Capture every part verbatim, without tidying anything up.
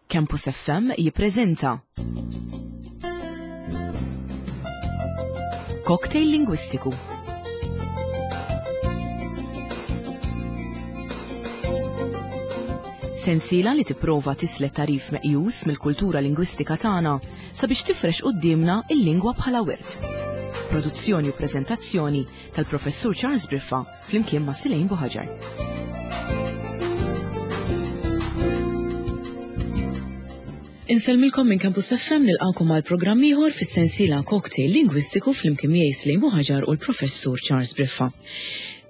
Campus F M jippreżenta Cocktail Lingwistiku. Sensiela li tipprova tislet tarif meqjus mill-kultura lingwistika tagħna sabiex tifrex quddiemna il-lingwa bħala wirt. Produzzjoni u preżentazzjoni tal-Professur Charles Briffa flimkien ma' Silejn Buħaġar. Insellmilkom minn Campus F M, nilqakom għal programm ieħor fis-sensiela Cocktail Lingwistiku flimkien miegħi Silejn Buħaġar u l-Professur Charles Briffa.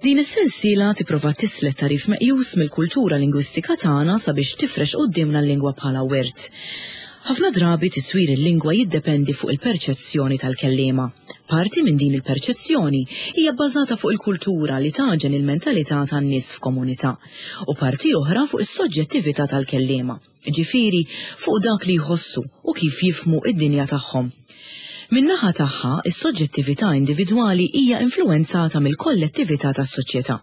Din is-sensiela tipprova tislet tarif meqjus mill-kultura lingwistika tagħna sabiex tifrex quddiemna l-lingwa bħala wirt. Ħafna drabi tiswir il-lingwa jiddependi fuq il-perċezzjoni tal-kelliema. Parti minn din il-perċezzjoni hija bbażata fuq il-kultura li taġen il-mentalità tan-nies f'komunità u parti oħra fuq is-soġġettività tal-kelliema, ġifieri fuq dak li jħossu u kif jifhmu id-dinja tagħhom. Min-naħa tagħha, is-soġġettività individwali hija influwenzata mill-kollettività tas-soċjetà.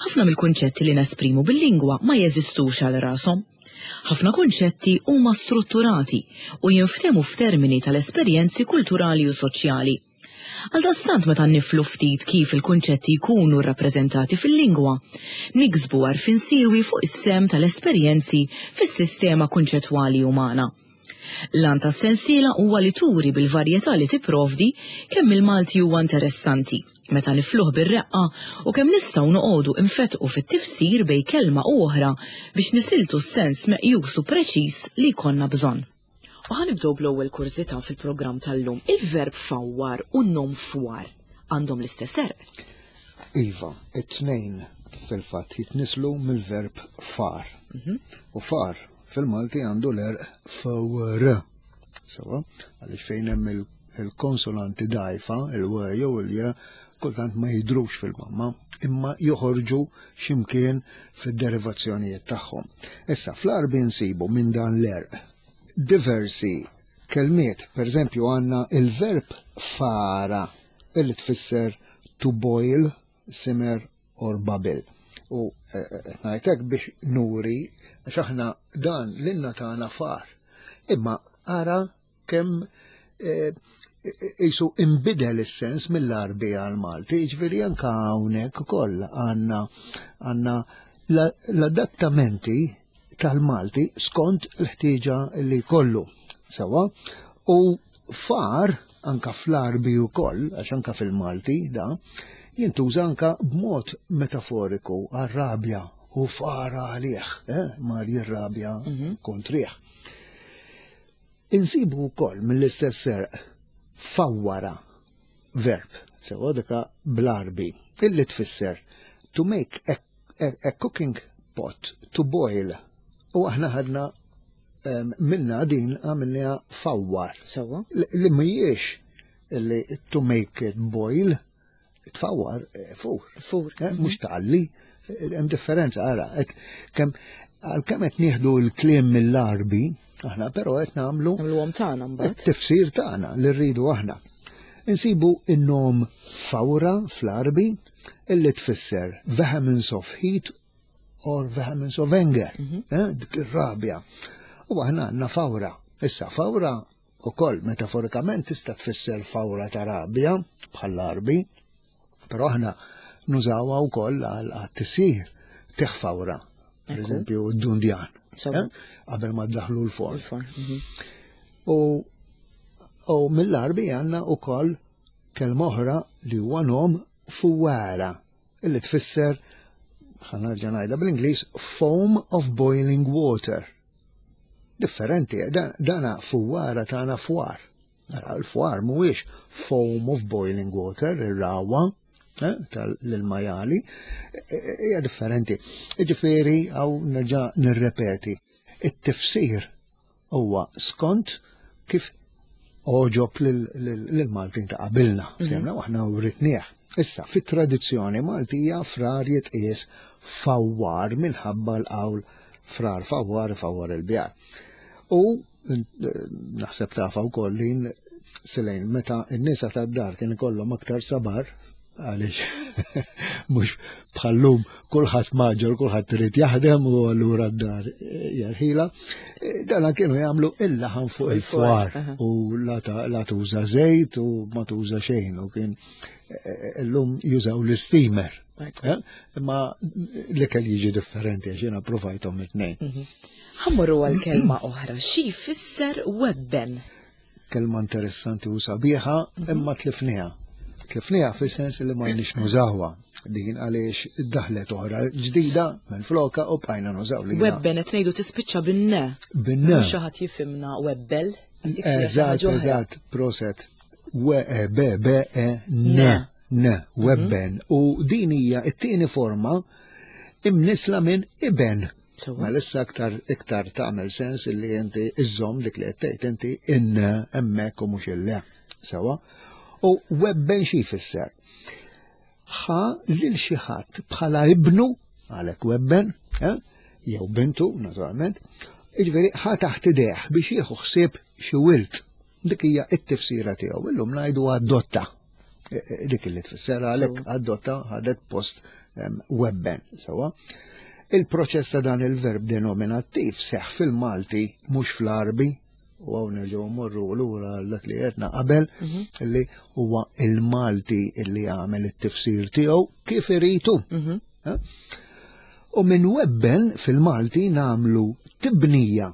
Ħafna mill-kunċetti li nesprimu bil-lingwa ma jeżistux għal rashom. Ħafna kunċetti huma strutturati u jinftehmu f'termini tal-esperjenzi kulturali u soċjali. Għaldaqstant meta niflu ftit kif il-kunċetti jkunu rrappreżentati fil-lingwa, niksbu għarfien siewi fuq is-sem tal-esperjenzi fis-sistema kunċettwali umana. L-għan tas-sensiela huwa li turi bil-varjetà li tipprovdi kemm il-Malti huwa interessanti, meta nifluh bir-reqqa u kemm nistgħu noqogħdu infetqu fit-tifsir bejn kelma u oħra biex nisiltu s-sens meqjus u preċiż li jkollna bżonn. U ħanibdew bl-ewwel kurżità fil-programm tal-lum. Il-verb fawwar u n-nom fwar għandhom l-istess għerq? Iva, it-tnejn fil-fatt jitnislu mill-verb far. Mhm. U far fil-Malti għandu l-għerq fawr. Sewa, għaliex fejn hemm il-, il-konsonanti dajfa, il-w jew il-j, kultant ma jidrux fil-mamma, imma joħorġu x'imkien fid-derivazzjonijiet tagħhom. Issa, fl-Għarbi nsibu minn dan l-għerq diversi kelmiet. Per eżempju, għandna il-verb fara, illi tfisser to boil, simmer or bubble. U, eh, eh, ngħidlek biex nuri, għax aħna dan l-inna tagħna far. Imma ara kemm, eh, jisu imbidel is-sens mill-Għarbi għal-Malti, jiġifieri anke hawnhekk ukoll għandna, għandna la-, l-adattamenti tal-Malti skont l-ħtieġa li jkollu. Sewa, u far anka fl-Għarbi wkoll, għax anka fil-Malti da, jintuża anka b'mod metaforiku għar-rabja u fara għalih, eh, mar jirrabja Mhm. kontrih. Insibu wkoll mill-istess serq fawwara verb, sewa dika bl-Għarbi, illi tfisser to make a, a, a cooking pot to boil. U aħna ħadna, em, minna din għamilniha fawwar. Sewa. Li, li mhijiex li to make it boil, tfawwar, eh, fur. Fur. Eh, mhux tgħalli, hemm differenza, ara, qed kemm, għalkemm qed nieħdu l-kliem mill-Għarbi, aħna però qed nagħmlu Nagħmluhom tagħna mbagħad. it-tifsir tagħna li rridu aħna. Insibu in-nom fawra fl-Għarbi illi tfisser vehemence of heat or vehemence of anger, Mhm. eh, dik ir-rabja. U aħna għandna fawra. Issa fawra ukoll metaforikament tista' tfisser fawra ta' rabja bħall-Għarbi, però aħna nużawha wkoll għal għat-tisir teħ fawra, per Ekku. eżempju d-dundjan, Sewa. eh, qabel ma ddaħlu l-forn. Il-forn, mhm. U, u mill-Għarbi għandna wkoll kelma oħra li huwa nom fuwara, illi tfisser, ħa nerġa' ngħidha bl-Ingliż, foam of boiling water. Differenti, dan, dana fuwara tagħna fwar. Ara, l-fwar mhuwiex foam of boiling water, ir-rawa, eh, tal-majali, hija differenti. Jiġifieri, hawn nerġa' nirrepeti, it-tifsir huwa skont kif oġob lil-, lil-, lil-Maltin ta' qabilna, Mhm. semna u aħna writnieh. Issa, fit-tradizzjoni Maltija frar jitqies fawwar minħabba l-qawl frar fawwar fawwar il-bjar. U, eh, naħseb tafa wkoll li Silejn, meta n-nisa tad-dar kien ikollhom aktar sabar, Għaliex mhux bħallum kulħadd maġġor, kulħadd irid jaħdem u allura d-dar jarħila. Dana kienu jagħmlu il-laħam fuq il-fwar u la tuża żejt u ma tuża xejn u kien illum jużaw l-steamer. Imma l-ikel jiġi differenti għax jiena provajthom it-tnejn. Ħa mmorru għal kelma oħra, xi jfisser webben? Kelma interessanti u sabiħa, imma tlifniha. Tlifniha fis-sens li ma nix nużawha din għaliex daħlet oħra ġdida minn floka u bqajna nużaw li. Webben qed ngħidu tispiċċa bin-ne. Bin-ne. Mhux xi ħadd jifhimna webbel. Eżatt, eżatt, proset. W E B B E N. N, webben. U din hija t-tieni forma imnisla minn iben. Ma issa iktar iktar tagħmel sens illi inti iżżomm dik li qed tgħid inti in hemmhekk u mhux il-le. Sewa. U webben xi jfisser? Ħa lil xi ħadd bħala ibnu, għalhekk webben, jew bintu, naturalment, jiġifieri ħa taħt idejh biex jieħu ħsieb xi wild. Dik hija t-tifsira tiegħu. Illum ngħidu adotta. Dik li tfisser għalhekk adotta ħadet post webben. Sewa. Il-proċess ta' dan il-verb denominattiv seħ fil-Malti mhux fl-Arbi, u hawn nerġgħu mmorru lura dak li għedna qabel, li huwa il-Malti li għamel it-tifsir tiegħu kif iritu. U minn webben fil-Malti nagħmlu tibnija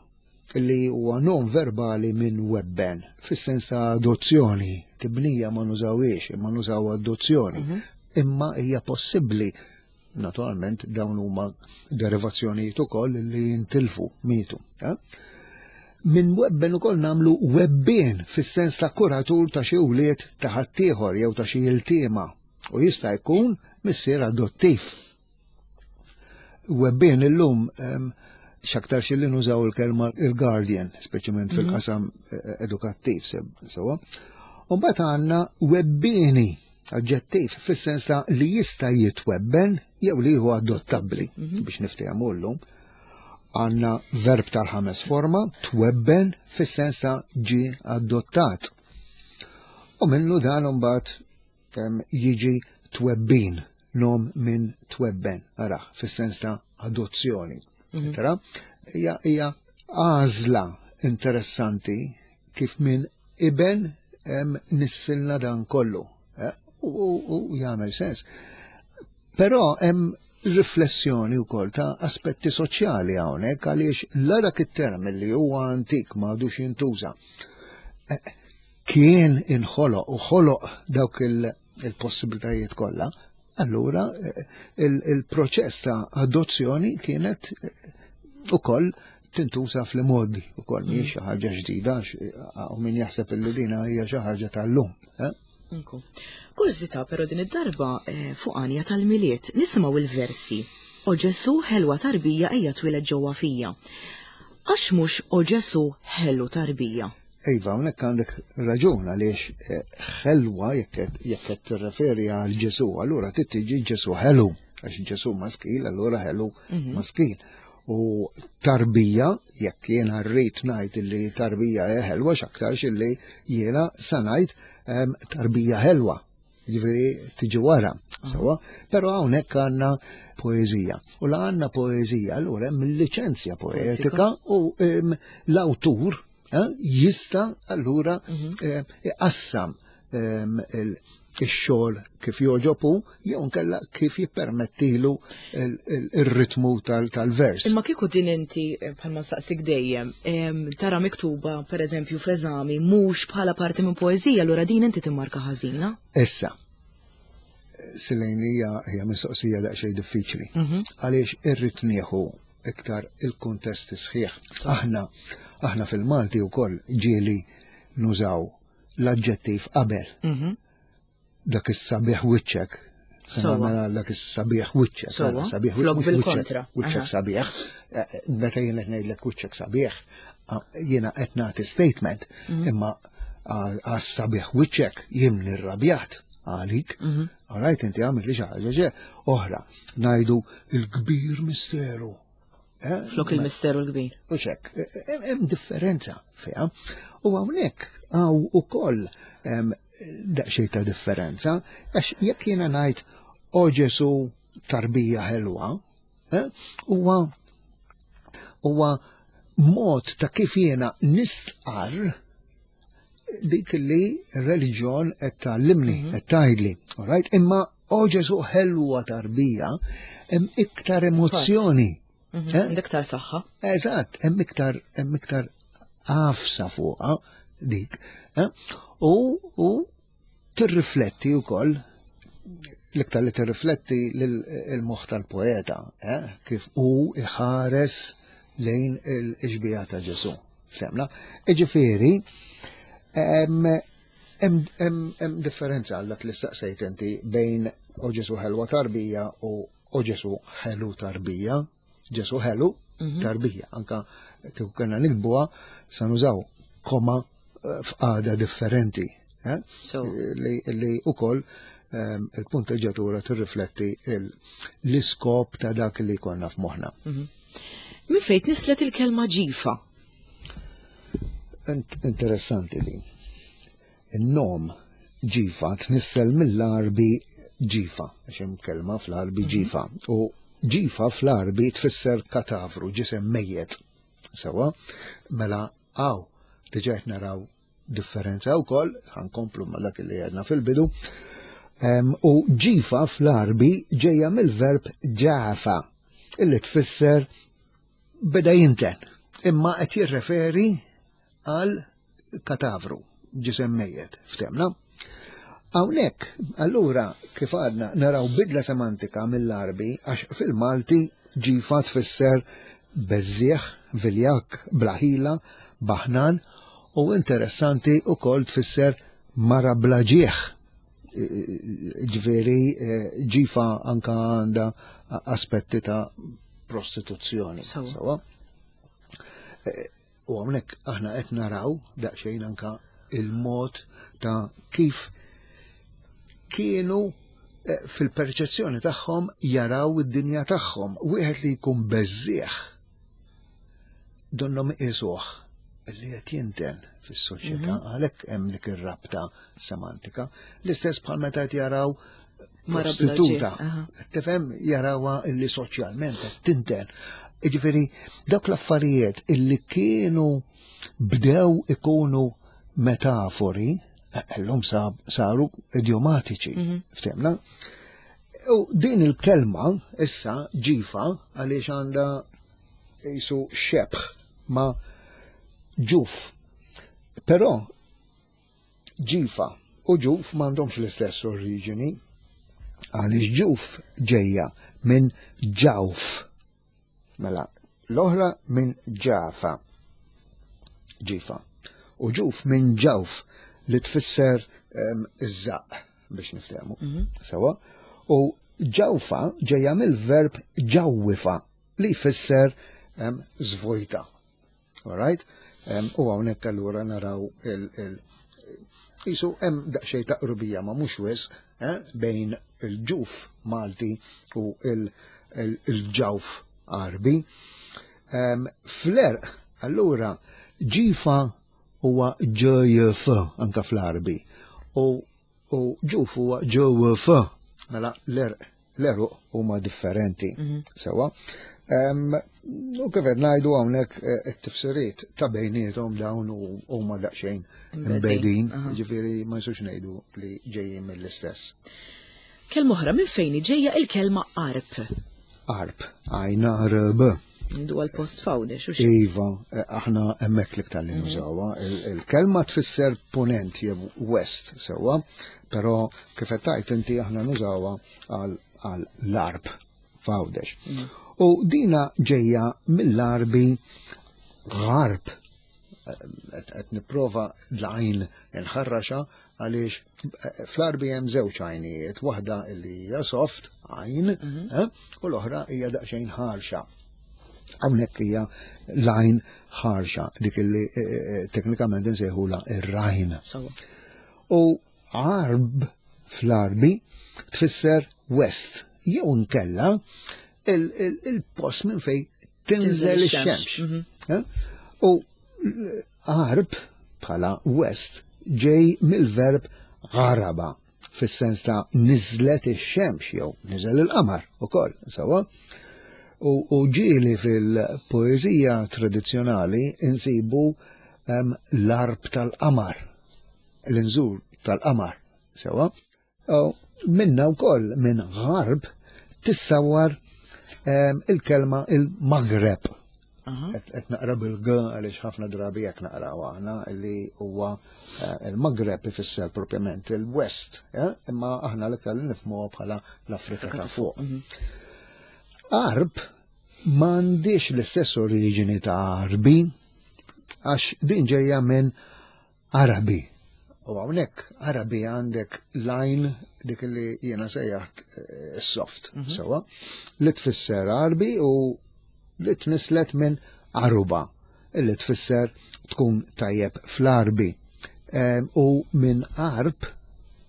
li huwa nom verbali minn webben, fis-sens ta' adozzjoni. Tibnija ma nużawiex, imma nużaw adozzjoni. Imma hija possibbli. Naturalment dawn huma derivazzjonijiet ukoll li jintilfu, mietu. Minn webben ukoll nagħmlu webbien fis-sens ta' kuratur ta' xi wlied ta' ħaddieħor jew ta' xi iltiema u jista' jkun missier adottiv. Webbien illum x'aktar xi li nużaw il-kelma il-guardian, speċjalment fil-qasam edukattiv sewa. U mbagħad għandna webbieni, aġġettiv fis-sens ta' li jista' jitwebben jew li huwa adottabbli biex niftehmu llum. Għandna verb tal-ħames forma, twebben fis-sens ta' ġie adottat. U minnu dan imbagħad jiġi twebbin, nom minn twebben, ara, fis-sens ta' adozzjoni. Tara, hija hija għażla interessanti kif minn iben nissilna dan kollu. U jagħmel sens. Però hemm riflessjoni wkoll ta' aspetti soċjali hawnhekk għaliex la dak it-term li huwa antik ma għadux jintuża. Kien inħoloq u ħoloq dawk il-possibilitajiet kollha, allura il-proċess ta' adozzjoni kienet ukoll tintuża fl-modi ukoll mhijiex xi ħaġa ġdida u min jaħseb illi dina hija xi ħaġa tal-lum. Kurżità però din id-darba fuq għanja tal-Milied nisimgħu il-versi O Ġesu ħelwa tarbija ejja twieled ġewwa fija. Għax mhux O Ġesu ħelu tarbija? Iva, hawnhekk għandek raġun għaliex ħelwa jekk qed tirreferi għal Ġesu, allura trid tiġi Ġesu ħelu, għax Ġesu maskil, allura ħelu maskil. U tarbija, jekk jiena rrid ngħid li tarbija hija ħelwa, x'aktarx illi jiena sa ngħid tarbija ħelwa. Jiġifieri tiġi wara, sewa, però hawnhekk għandna poeżija. U la għandna poeżija, allura hemm liċenzja poetika u l-awtur jista' allura iqassam ix-xogħol kif joġobu jew nkella kif jippermettilu ir-ritmu tal-vers. Imma kieku din inti bħalma saqsik dejjem tara miktuba pereżempju f'eżami mhux bħala parti minn poeżija, allura din inti timmarka ħażina? Issa, Silejn hija hija mistoqsija daqsxejn diffiċli. Għaliex irrid nieħu iktar il-kuntest sħiħ. Aħna aħna fil-Malti wkoll ġieli nużaw l-aġġettiv qabel. Dak is-sabiħ wiċċek. Mela dak is-sabiħ wiċċek. Sabiħ wiċċek. Wiċċek sabiħ. Meta jien qed ngħidlek wiċċek sabiħ, jiena qed nagħti statement, imma għas-sabiħ wiċċek jien nirrabjat għalik. All right, inti għamilt li xi ħaġa oħra. Ngħidu il-kbir misteru. Eh? Flok il-misteru l-kbir. U xek, hemm differenza fiha. U hawnhekk hawn ukoll daqsxejn ta' differenza, għax jekk jiena ngħid o Ġesu tarbija ħelwa, eh, huwa huwa mod ta' kif jiena nistqarr dik li reliġjon qed tgħallimni, mhm. qed tgħidli, right? Imma o Ġesu ħelwa tarbija hemm iktar emozzjoni. Mhm. Eh? Iktar saħħa. Eżatt, hemm iktar hemm iktar għafsa fuqha dik. Eh? U, u tirrifletti wkoll l-iktar li tirrifletti l-moħħ tal-poeta, eh? Kif hu iħares lejn il-ixbija ta' Ġesu. Ftemna? Iġifieri, hemm differenza għal dak li staqsejt inti bejn o Ġesu ħelwa tarbija u o Ġesu ħelu tarbija. Ġesu ħelu mhm. tarbija. Anka kieku kellna nikbuha sa nużaw koma eh, f'qagħda differenti. Eh? Li, li ukoll ehm, il-punteġġatura tirrifletti l-iskop ta' dak li konna f'moħħna. Mhm. Min fejn nislet il-kelma ġifa? Interessanti din. In-nom ġifa tnissel mill-Arbi ġifa, għax hemm kelma fl-Arbi mhm. ġifa. U ġifa fl-Arbi tfisser katavru, ġisem mejjet. Sewa, mela għaw, diġà qed naraw differenza wkoll, ħankomplu ma' dak li għedna fil-bidu. U ġifa fl-Arbi ġejja mill-verb ġafa, illi tfisser beda jinten, imma qed jirreferi għal katavru, ġisem mejjet, ftemna. Hawnhekk, allura, kif għadna, naraw bidla semantika mill-Arbi, għax fil-Malti ġifa tfisser beżżieħ, viljak, blaħila, baħnan, u interessanti u kol tfisser mara blaġieħ. Ġifieri, eh, ġifa anka għandha aspetti ta' prostituzzjoni. Sawa. Eh, u hawnhekk aħna qed naraw daqsxejn anka il-mod ta' kif kienu eh, fil-perċezzjoni tagħhom jaraw id-dinja tagħhom. Wieħed li jkun beżżieħ donnom isuh li qed jinten fis-soċjetà mhm. għalhekk hemm dik ir-rabta semantika. L-istess bħal meta qed jaraw prostituta. Tifhem jarawha illi soċjalment qed tinten. Jiġifieri dawk l-affarijiet illi kienu bdew ikunu metafori, llum saru idiomatiċi, mhm. ftemna. U din il-kelma issa ġifa għaliex għandha jisu xebħ ma' ġuf. Però ġifa u ġuf m'għandhomx l-istess oriġini għaliex ġuf ġejja minn ġawf. Mela, l-oħra minn ġafa. Ġifa. U ġuf minn ġawf li tfisser iż-żaq biex niftehmu. Mhm. Sewa. U ġawfa ġejja mill-verb ġawwifa li jfisser żvojta. All right? U hawnhekk allura naraw il- Jisu hemm daqsxejn ta' qrubija ma mhux wisq eh, bejn il-ġuf Malti u il-ġawf Arbi. Fl-erq, allura, ġifa huwa ġ F anka fl-Arbi u ġuf huwa ġ W F. Mela l-erq l-eruq huma differenti. Mhm. Sewa. U kif qed ngħidu hawnhekk eh, it-tifsiriet ta' bejniethom dawn huma daqsxejn imbegħdin, ġifieri ma nistgħux ngħidu li ġejjin mill-istess. Kelma oħra, minn fejn ġejja il-kelma arp? Arp, għajna R B. Ndu għal-post fawdex, u Iva, eh, aħna hemmhekk l-iktar li mhm. nużawha. Il-kelma tfisser ponent jew west, sewa, però kif qed tgħid inti aħna nużawha għal l-arb f'Għawdex. Mm. U dina ġejja mill-Arbi għarb. Qed nipprova l-għajn nħarraxa għaliex eh, fl-Arbi hemm żewġ għajnijiet, waħda li hija soft għajn mhm. eh, u l-oħra hija daqsxejn ħarxa. Hawnhekk hija l-għajn ħarxa, dik li eh, teknikament insejħula ir-rajn. U għarb fl-Arbi tfisser west, jew nkella il-post minn fej tinżel ix-xemx. Mhm. Eh? U għarb bħala west ġej mill-verb għaraba fis-sens ta' niżlet ix-xemx jew niżel il-qamar ukoll, sewwa. U, u ġieli fil-poeżija tradizzjonali insibu em, l-arb tal-qamar, l-inżur tal-qamar, sewwa. U minna wkoll minn għarb tissawar em, il-kelma il-Maghreb. Aha. Qed naqra bil-g għaliex ħafna drabi jekk naqraw aħna li huwa eh, il-Maghreb ifisser propjament il-West, eh? Imma aħna l-iktar li nifhmuha bħala l-Afrika ta' fuq. Arb m'għandix l-istess oriġini ta' Arbi, għax din ġejja minn Arabi. U hawnhekk Arabi għandek line dik li jiena sejjaħt eh, soft, sewwa, li tfisser Arbi u li tnislet minn Aruba, illi tfisser tkun tajjeb fl-Arbi. Em, U minn Arb,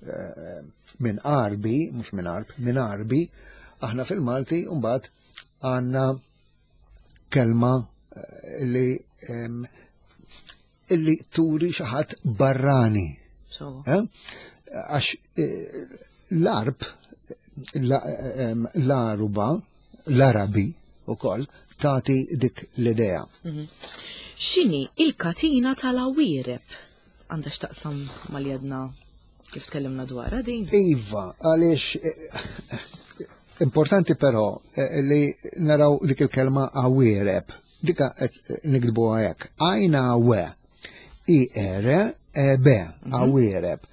eh, minn Arbi, mhux minn Arb, minn Arbi, aħna fil-Malti mbagħad għandna kelma eh, li em, illi turi xi ħadd barrani. Sewwa. Eh? Għax eh, l-arb, la- em, l-aruba, l-Arabi u koll, tati dik l-idea. X'inhi il-katina tal-awiereb? Għandha x'taqsam mal-jedna kif tkellimna dwarha din? Iva, għaliex eh, importanti però eh, li naraw dik il-kelma awiereb. Dika qed niktbuha hekk. Għajna we, I R E B, awiereb.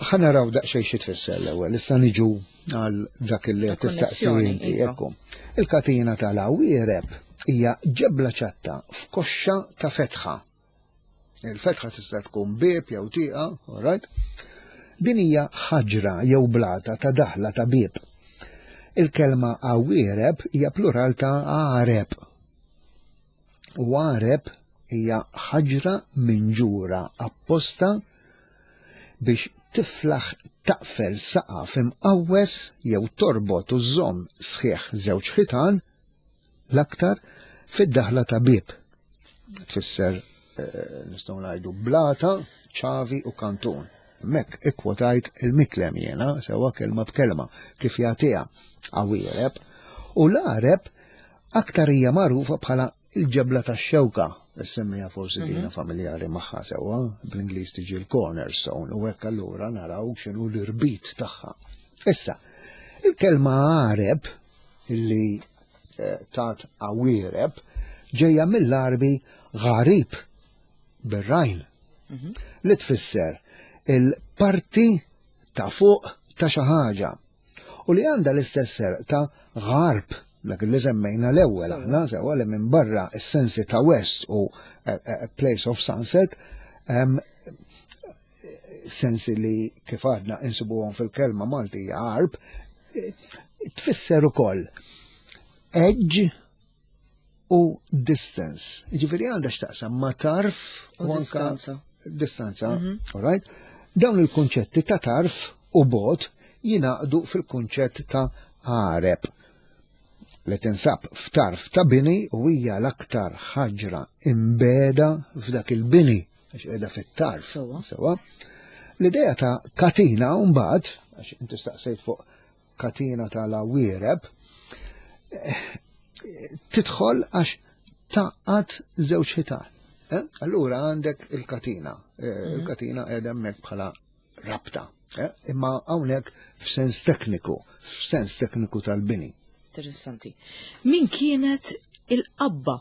Ħa naraw daqsxejn xi tfisser l-ewwel, issa niġu għal dak li Ta' qed tistaqsi konnessjoni, inti, iva. ekku. Il-katina tal-awiereb hija ġebla ċatta f'koxxa ta' fetħa. Il-fetħa tista' tkun bieb jew tieqa, all right? Din hija ħaġra jew blata ta' daħla ta' bieb. Il-kelma awiereb hija plural ta' għareb. U għareb hija ħaġra minġura apposta biex tiflaħ taqfel saqaf imqawwes jew torbot u żomm sħiħ żewġ ħitan l-aktar fid-daħla ta' bieb. Tfisser eh, nistgħu ngħidu blata, ċavi u kantun. Mek ikkwotajt il-miklem jiena, sewwa kelma b'kelma, kif jagħtiha awiereb, u l-għareb aktar hija magħrufa bħala il-ġebla tax-xewka. Semmija forsi dina familjari magħha sewwa, bl-Ingliż tiġi l-cornerstone, u hekk allura naraw x'inhu l-irbit tagħha. Issa, il-kelma għareb illi eh, tat awiereb ġejja mill-Arbi għarib bir-rajn li tfisser il-parti ta' fuq ta' xi ħaġa u li għandha l-istess serq ta' għarb dak li semmejna l-ewwel Sewwa. aħna sewwa li minn barra is-sensi ta' west u eh, eh, place of sunset em, sensi li kif għadna insibuhom fil-kelma Malti hija għarb, eh, tfisser ukoll edge u distance. Ġifieri għandha x'taqsam ma' tarf U u anka distanza. distanza, all right? Dawn il-kunċetti ta' tarf u bot jingħaqdu fil-kunċett ta' għareb li tinsab f'tarf ta' bini u hija l-aktar ħaġra imbeda f'dak il-bini għax qiegħda fit-tarf. Sewwa. Sewwa. L-idea ta' katina mbagħad, għax inti staqsejt fuq katina tal-awiereb, eh, tidħol għax tgħaqqad żewġ ħitan. Eh? Allura għandek il-katina. Eh, Il-katina qiegħda hemmhekk bħala rabta. Eh? Imma hawnhekk f'sens tekniku, f'sens tekniku tal-bini. Interessanti. Min kienet il-qabba?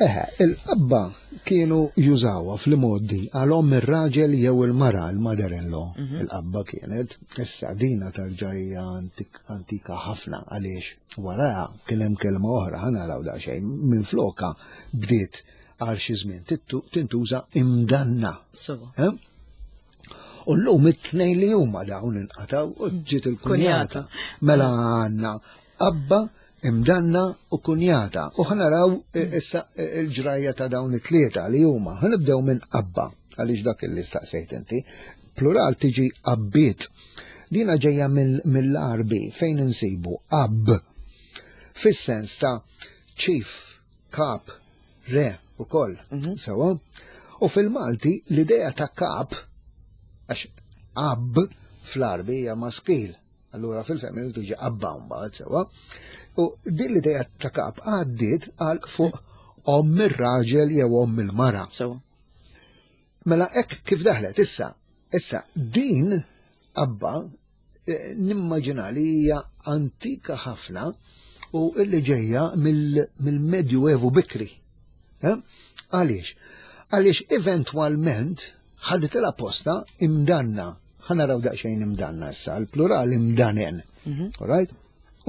Eħe, il-qabba kienu jużawha fl-modi għal-omm ir-raġel jew il-mara, il-mother-in-law. Il-qabba kienet, issa dina tarġajja antik, antika ħafna għaliex waraha kien hemm kelma oħra ħa naraw daqsxejn minn floka bdiet għal xi żmien tittu- tintuża imdanna. Sewwa. Eh? U l-lum it-tnejn li huma dawn inqataw u ġiet il-kunjata. Kunjata. Mela għandna qabba, imdanna u kunjata. U ħa naraw eh, issa eh, il-ġrajja ta' dawn it-tlieta li huma. Ħa nibdew minn qabba, għaliex dak li staqsejt inti. Plural tiġi qabbiet. Dina ġejja mill- mill-Arbi fejn insibu ab. Fis-sens ta' Chief, kap, re u koll. Sewa? U fil-Malti l-idea ta' kap, għax ab fl-Arbi hija maskil, allura fil-femminil tiġi abba mbagħad sewa. U din l-idea ta' kap għaddiet għal fuq omm ir-raġel jew omm il-mara. Sewa. Mela hekk kif daħlet issa, issa din abba eh, nimmaġina li hija antika ħafna u illi ġejja mill-Medjuevu bikri. Eh? Għaliex? Għaliex eventwalment ħadet il-posta imdanna. Ħa naraw daqsxejn imdanna issa, l-plural imdanen. All right?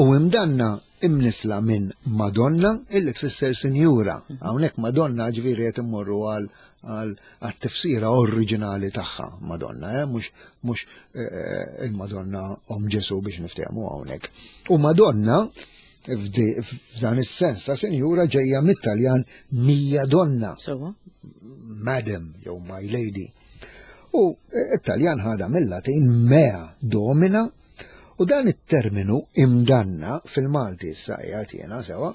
U imdanna imnisla minn Madonna illi tfisser sinjura. Hawnhekk Madonna ġifieri qed immorru għal għal tifsira oriġinali tagħha Madonna, eh? mhux mhux eh, il-Madonna om Ġesu biex niftehmu hawnhekk. U Madonna f'dan is-sens ta' sinjura ġejja mit-Taljan mia donna. Sewa. Madam jew my lady. U it-Taljan ħada mill-Latin mea domina u dan it-terminu imdanna fil-Malti issa qiegħed jiena sewa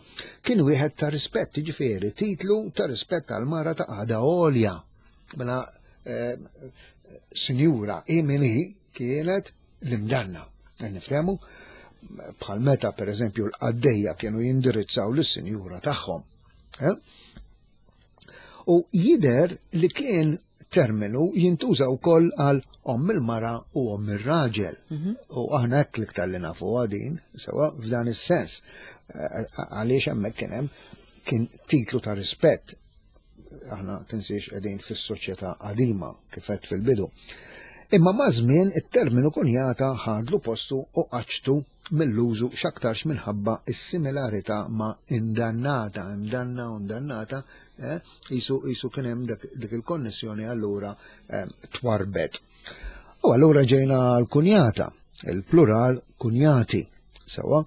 kien wieħed ta' rispett, jiġifieri titlu ta' rispett għal mara ta' qagħda għolja. Mela eh, sinjura imini kienet l-imdanna. Nifhemu? Bħal meta per eżempju l-qaddejja kienu jindirizzaw lis-sinjura tagħhom. Eh? U jider li kien terminu jintuża wkoll għal omm il-mara u omm ir-raġel. U aħna hekk l-iktar li nafu għadin, sewa f'dan is-sens. Eh, Għaliex hemmhekk kien hemm kien titlu ta' rispett. Aħna tinsiex qegħdin fis-soċjetà qadima kif għedt fil-bidu. Imma ma' żmien it-terminu kunjata ħadlu postu u qaċtu mill-użu x'aktarx minħabba is-similarità ma' indannata, imdanna u indannata, eh, jisu, jisu kien hemm dak, dik il-konnessjoni allura eh, twarbet. U allura ġejna l-kunjata, il-plural kunjati, sewa,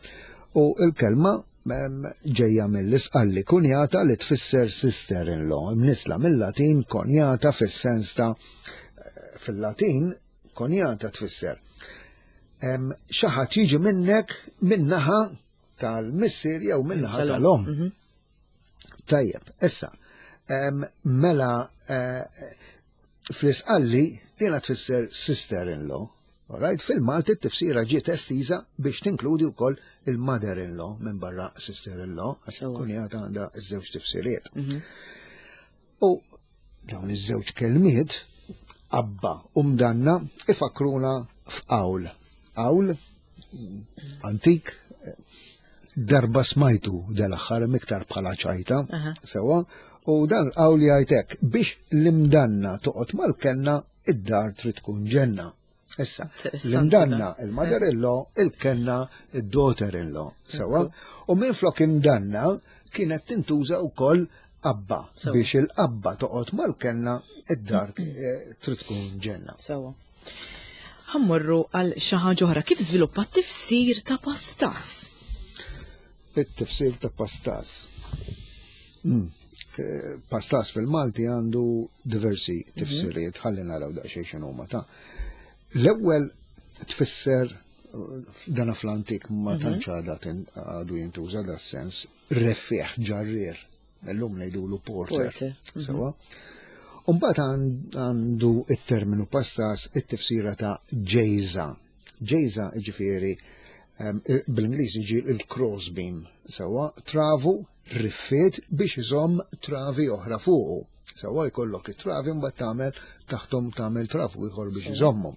u il-kelma em, ġejja mill-isqalli kunjata li tfisser sister-in-law, imnisla mill-Latin konjata fis-sens ta' fil-Latin konjata tfisser em, xi ħadd jiġi minnek minnaħa tal-missier jew minnaħa tal-om. Tajjeb, issa, em, mela eh, fl-isqalli dina tfisser sister-in-law. Alright, fil-Malti t-tifsira ġiet estiża biex tinkludi wkoll il-mother-in-law minn barra sister-in-law, għax Sewa. kunjata għandha iż-żewġ tifsiriet. U dawn iż-żewġ kelmiet abba u mdanna ifakruna f'qawl. Qawl antik darba smajtu dal-aħħar miktar bħala ċajta, Aha. sewa, u dan qawl jgħidek biex l-imdanna toqgħod mal-kenna id-dar trid tkun ġenna. Issa, Interessanti l-imdanna dan. il-mother-in-law, il-kenna il-daughter-in-law, sewa, u minn flok imdanna kienet tintuża wkoll abba Sewa. biex il-abba toqgħod mal-kenna id-dar eh, trid tkun ġenna. Sewa. Ħa mmorru għal xi ħaġa oħra. Kif żviluppa t-tifsir ta' pastas? it-tifsir ta' pastas. Mm. Eh, Pastas fil-Malti għandu diversi tifsiriet, ħalli naraw daqsxejn x'inhuma ta' L-ewwel tfisser eh, dana fl-antik ma tantx għadha tin- għadu jintuża da sens reffiħ ġarrier. Illum ngħidulu porter. Porter, mhm. Sewa. Umbagħad għandu it-terminu pastas it-tifsira ta' ġejza. Ġejza ġifieri em, bl-Ingliż jiġi il-crossbeam. Sewa travu riffiet biex iżomm travi oħra fuqu. Sewa jkollok it-travi mbagħad tagħmel taħtom tagħmel travu ieħor biex iżommhom.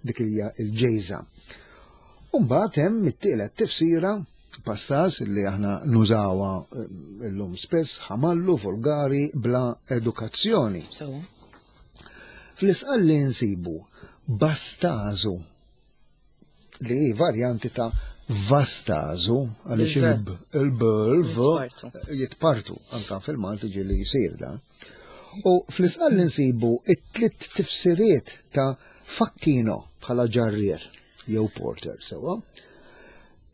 Dik hija il-ġejza. Umbagħad hemm it-tielet tifsira pastas li aħna nużawha eh, illum spess ħamallu volgari bla edukazzjoni. Sewa. Fl-isqalli nsibu bastazu li hi varjanti ta' vastazu għaliex Il-v. il-b il-v Jitpartu. jitpartu anka fil-Malti ġieli jisir dan. U fl-isqalli nsibu it-tliet tifsiriet ta' facchino bħala ġarrier jew porter sewa.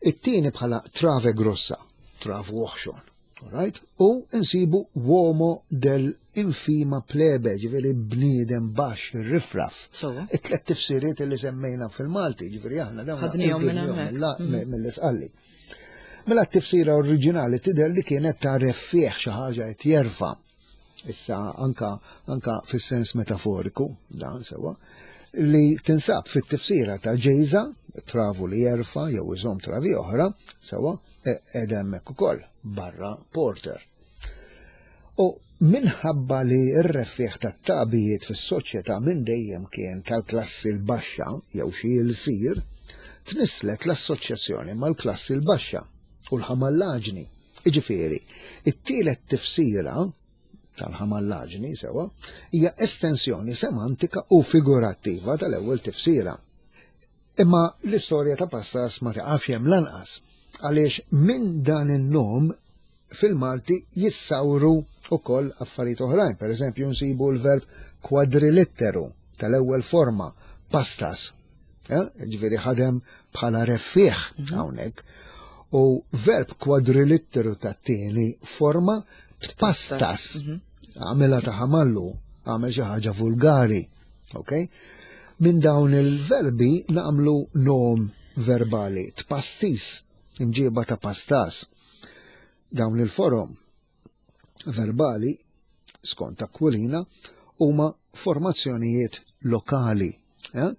It-tieni bħala trave grossa, travu oħxon. Alright? U nsibu uomo del infima plebe, ġifieri bniedem baxx, rifraf. Sewa. It-tlet tifsiriet li semmejna fil-Malti, ġifieri aħna dawn Ħadnihom minn ħadnihom hemmhekk. mill- mill-isqalli. Mela t-tifsira oriġinali tidher li kienet ta' reffieh, xi ħaġa qed jerfa'. Issa anka anka fis-sens metaforiku, dan sewa, li tinsab fit-tifsira ta' ġejża, travu li jerfa' jew iżomm travi oħra, sewa, qiegħda hemmhekk ukoll barra porter. U minħabba li r-reffieh tat-tagħbijiet fis-soċjetà minn dejjem kien tal-klassi l-baxxa jew xi l-sir, tnisslet l-assoċjazzjoni mal-klassi l-baxxa u l-ħamallaġni. Iġifieri, it-tielet tifsira tal-ħamallaġni sewa hija estensjoni semantika u figurattiva tal-ewwel tifsira. Imma l-istorja ta' pastas ma taqafx hemm lanqas, għaliex minn dan in-nom fil-Malti jissawru ukoll affarijiet oħrajn. Per eżempju, nsibu l-verb kwadrilitteru tal-ewwel forma, pastas. Ġifieri ħadem bħala reffieh hawnhekk. U verb kwadrilitteru tat-tieni forma tpastas. Għamela ta' ħamallu, għamel xi ħaġa vulgari. Ok? Minn dawn il-verbi nagħmlu nom verbali, tpastis, imġiba ta' pastas. Dawn il-forom verbali, skont Aquilina, huma formazzjonijiet lokali. Eh?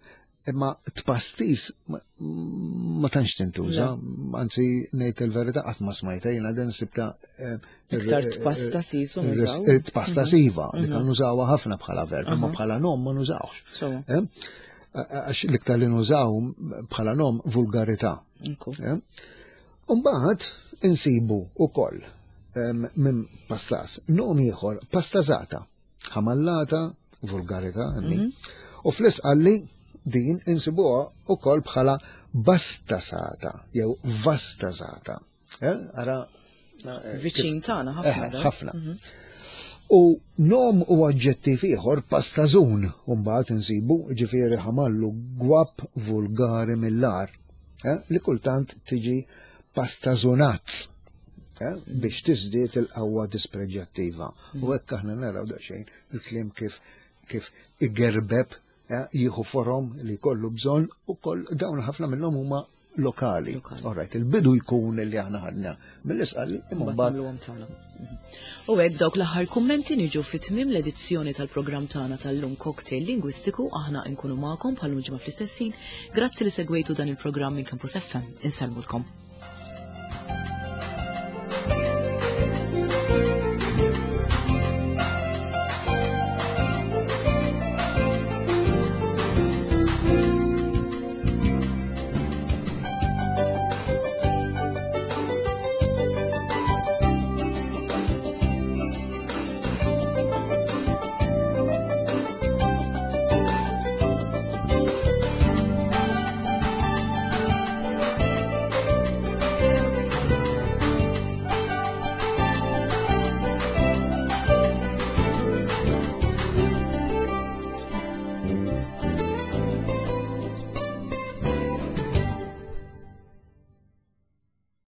Imma tpastis ma, ma tantx tintuża, anzi ngħid il-verità qatt ma smajta jiena din sibta iktar tpasta sisu nużaw. Tpasta siva, li kan nużawha ħafna bħala verb, imma bħala nom ma nużawx. Għax l-iktar li nużaw bħala nom vulgarità. Mbagħad insibu ukoll minn pastas nom ieħor pastazata, ħamallata, vulgarità, u fl-isqalli din insibuha ukoll bħala bastasata jew vastazata. Ara viċin tagħna ħafna. Ħafna. U nom u aġġettiv ieħor pastażun, u mbagħad insibu ġifieri ħamallu gwab vulgari mill-ar, li kultant tiġi pastażunazz biex tiżdied il-qawwa dispreġjattiva. U hekk aħna naraw daqsxejn il-kliem kif kif igerbeb, jieħu forom li kollu bżonn, u koll dawn ħafna minnhom huma lokali. Alright, il-bidu jkun li aħna ħadna mill-isqalli imma mbagħad. U hekk dawk l-aħħar kummenti niġu fit-tmiem l-edizzjoni tal-programm tagħna tal-lum Cocktail Lingwistiku. Aħna nkunu magħkom bħal ġimgħa fl-istess ħin. Grazzi li segwejtu dan il-programm minn Campus F M. Insellmulkom. Thank you.